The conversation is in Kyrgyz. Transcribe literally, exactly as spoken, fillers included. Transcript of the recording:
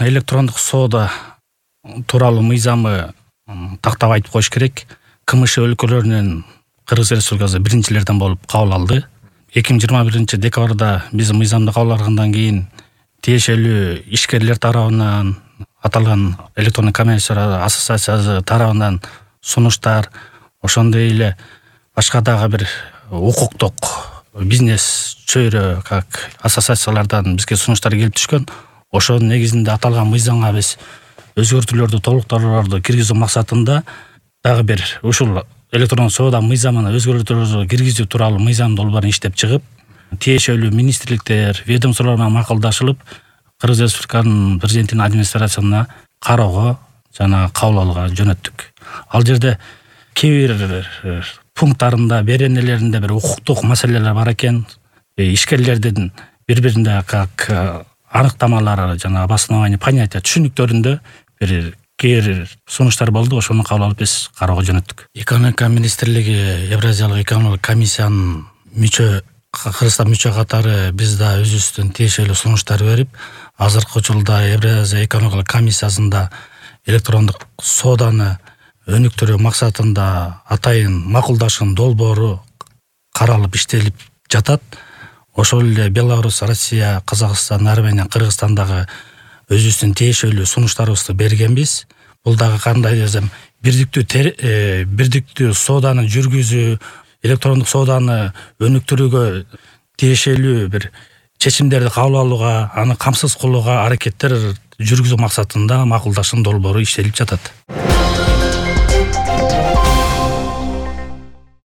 электрондук соода тууралуу мыйзамы тактап айтып коюш керек. КМШ өлкөлөрүнүн Кыргыз Республикасы биринчилерден болуп кабыл алды. эки миң жыйырма биринчи декабрда биз мыйзамды кабыл алгандан кийин тиешелүү ишкерлер тарабынан, аталган электрондук коммерция ассоциациясы тарабынан сунуштар, ошондой эле башка дагы бир укуктук бизнес чөйрө как ассоциациялардан бизге сунуштар келип түшкөн. Ошонун негизинде аталган мыйзамга биз өзгөртүүлөрдү, толуктоолорду киргизүү максатында дагы бир ушул электрондук соода мыйзамына өзгөртүүлөрдү киргизүү тууралуу мыйзам долбоорун иштеп чыгып, тиешелүү министрликтер, ведомстволор менен макулдашылып, Кыргыз Республиканын президентинин администрациясына кароого жана кабыл алууга жөнөттүк. Ал жерде кээ бир пункттарында, беренелеринде бир укуктук маселелер бар экен. Ишкерлердин бири-бирине как аныктамалары жана обоснование понятия түшүнүктөрүндө бир кээ сунуштар болду. Ошону кабыл алып биз кароого жөнөттүк. Экономика министрлиги, Евразиялык экономикалык комиссиянын мүчө Кыргызстан мүчө катары биз да өзүбүздүн тиешелүү сунуштар берип, азыркы учурда Евразия экономикалык комиссиясында электрондук сооданы өнүктүрүү максатында атайын макулдашуу долбоору каралып иштелип жатат. Ошол эле Беларусь, Россия, Казакстан, Армения, Кыргызстандагы өзүбүздүн тиешелүү сунуштарыбызды бергенбиз. Бул дагы кандай десем, бирдиктүү бирдиктүү сооданы жүргүзүү, электрондук сооданы өнүктүрүүгө тиешелүү бир чечимдерди кабыл алууга, аны камсыз кылууга аракеттер жүргүзүү максатында макулдашуу долбоору иштелип жатат.